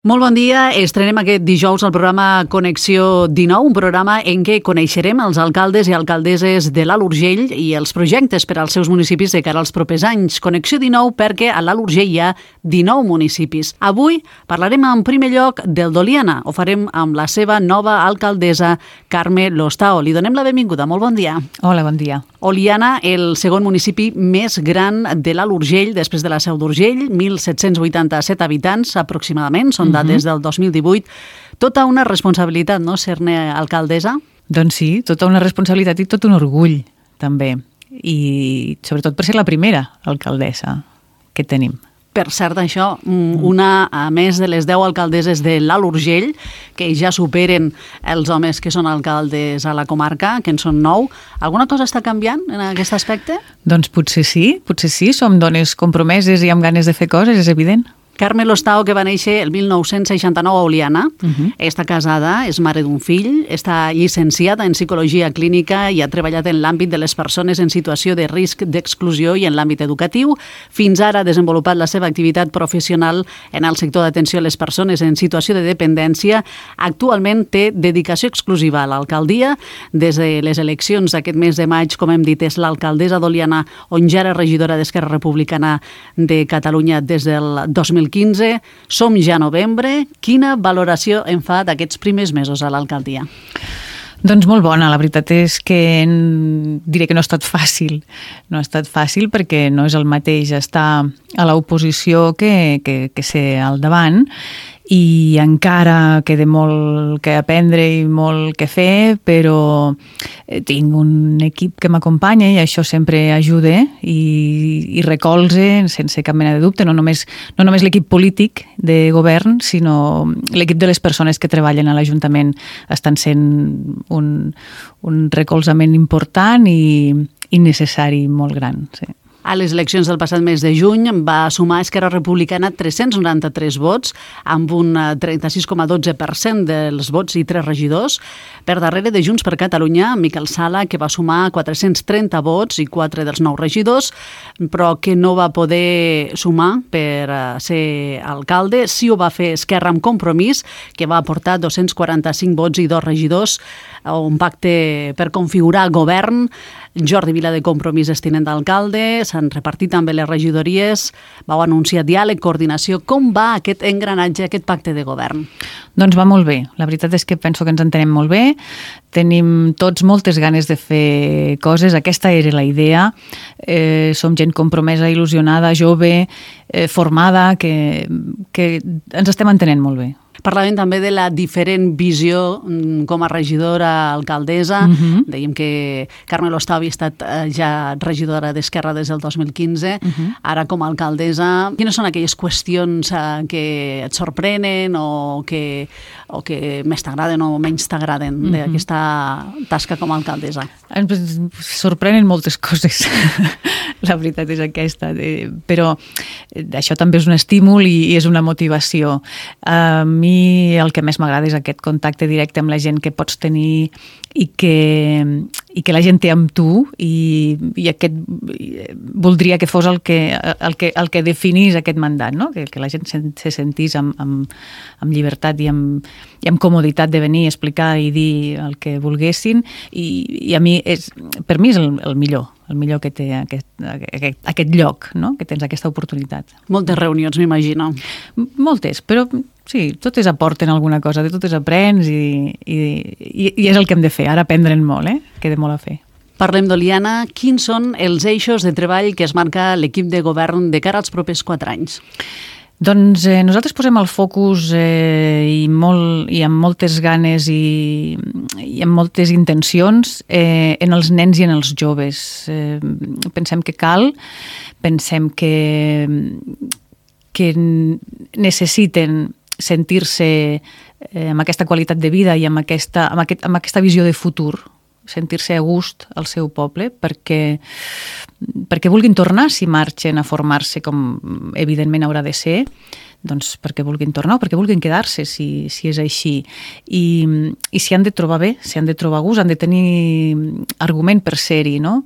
Molt bon dia. Estrenem aquest dijous el programa Connexió 19, un programa en què coneixerem els alcaldes i alcaldesses de l'Alt Urgell i els projectes per als seus municipis de cara als propers anys. Connexió 19 perquè a l'Alt Urgell hi ha 19 municipis. Avui parlarem en primer lloc del d'Oliana. Ho farem amb la seva nova alcaldessa, Carme Lostao. Li donem la benvinguda. Molt bon dia. Hola, bon dia. Oliana, el segon municipi més gran de l'Alt Urgell, després de la Seu d'Urgell, 1.787 habitants aproximadament, són dades del 2018. Tota una responsabilitat, no?, ser-ne alcaldessa? Doncs sí, tota una responsabilitat i tot un orgull, també. I sobretot per ser la primera alcaldessa que tenim. Per cert, això, una a més de les 10 alcaldesses de l'Alt Urgell, que ja superen els homes que són alcaldes a la comarca, que en són 9. Alguna cosa està canviant en aquest aspecte? Doncs potser sí, som dones compromeses i amb ganes de fer coses, és evident. Carme Lostao, que va néixer el 1969 a Oliana, està casada, és mare d'un fill, està llicenciada en Psicologia Clínica i ha treballat en l'àmbit de les persones en situació de risc d'exclusió i en l'àmbit educatiu. Fins ara ha desenvolupat la seva activitat professional en el sector d'atenció a les persones en situació de dependència. Actualment té dedicació exclusiva a l'alcaldia. Des de les eleccions d'aquest mes de maig, com hem dit, és l'alcaldessa d'Oliana, on ja era regidora d'Esquerra Republicana de Catalunya des del 2015. Som ja a novembre. Quina valoració en fa d'aquests primers mesos a l'alcaldia? Doncs molt bona. La veritat és que diré que no ha estat fàcil. No ha estat fàcil perquè no és el mateix estar a l'oposició que ser al davant, i encara queda molt que aprendre i molt que fer, però tinc un equip que m'acompanya i això sempre ajuda i recolze sense cap mena de dubte, no només l'equip polític de govern, sinó l'equip de les persones que treballen a l'Ajuntament estan sent un recolzament important i necessari molt gran, sí. A les eleccions del passat mes de juny va sumar Esquerra Republicana 393 vots, amb un 36,12% dels vots i 3 regidors. Per darrere de Junts per Catalunya, Miquel Sala, que va sumar 430 vots i 4 dels 9 regidors, però que no va poder sumar per ser alcalde. Sí ho va fer Esquerra amb Compromís, que va aportar 245 vots i 2 regidors, un pacte per configurar govern. Jordi Vila de Compromís és tinent d'alcalde, s'han repartit també les regidories, vau anunciar diàleg, coordinació. Com va aquest engranatge, aquest pacte de govern? Doncs va molt bé. La veritat és que penso que ens entenem molt bé. Tenim tots moltes ganes de fer coses. Aquesta era la idea. Som gent compromesa, il·lusionada, jove, formada, que ens estem entenent molt bé. Parlàvem també de la diferent visió com a regidora, alcaldessa. Dèiem que Carme Lostao havia estat ja regidora d'Esquerra des del 2015. Ara, com a alcaldessa, quines són aquelles qüestions que et sorprenen o que més t'agraden o menys t'agraden d'aquesta tasca com a alcaldessa? Ens sorprenen moltes coses. La veritat és aquesta. Però això també és un estímul i és una motivació. A mi el que més m'agrada és aquest contacte directe amb la gent que pots tenir i que la gent té amb tu, i voldria que fos el que definís aquest mandat, no? Que la gent se sentís amb llibertat i amb comoditat de venir, explicar i dir el que volguessin, i a mi per mi és el millor que té aquest lloc, no? Que tens aquesta oportunitat. Moltes reunions, m'imagino. Moltes, però sí, totes aporten alguna cosa, de totes aprens i és el que hem de fer. Ara aprendre'n molt, queda molt a fer. Parlem d'Oliana. Quins són els eixos de treball que es marca l'equip de govern de cara als propers 4 anys? Doncs nosaltres posem el focus i amb moltes ganes i amb moltes intencions en els nens i en els joves. Pensem que cal, pensem que necessiten sentir-se amb aquesta qualitat de vida i amb aquesta visió de futur, sentir-se a gust al seu poble, perquè vulguin tornar si marxen a formar-se, com evidentment haurà de ser, doncs perquè vulguin tornar o perquè vulguin quedar-se, si és així. I s'hi han de trobar bé, s'hi han de trobar gust, han de tenir argument per ser-hi, no?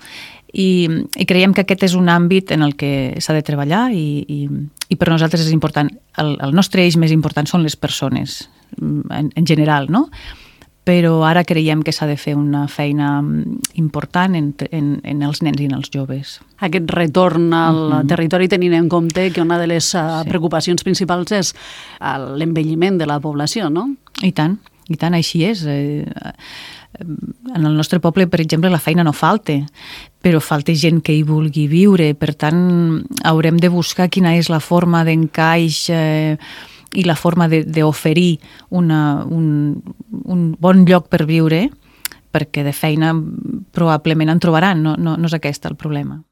I creiem que aquest és un àmbit en el que s'ha de treballar i per nosaltres és important. El nostre eix més important són les persones, en general, no? Però ara creiem que s'ha de fer una feina important en els nens i en els joves. Aquest retorn al territori, tenint en compte que una de les preocupacions principals és l'envelliment de la població, no? I tant, així és. En el nostre poble, per exemple, la feina no falta, però falta gent que hi vulgui viure. Per tant, haurem de buscar quina és la forma d'encaix i la forma d'oferir un bon lloc per viure, perquè de feina probablement en trobaran, no és aquest el problema.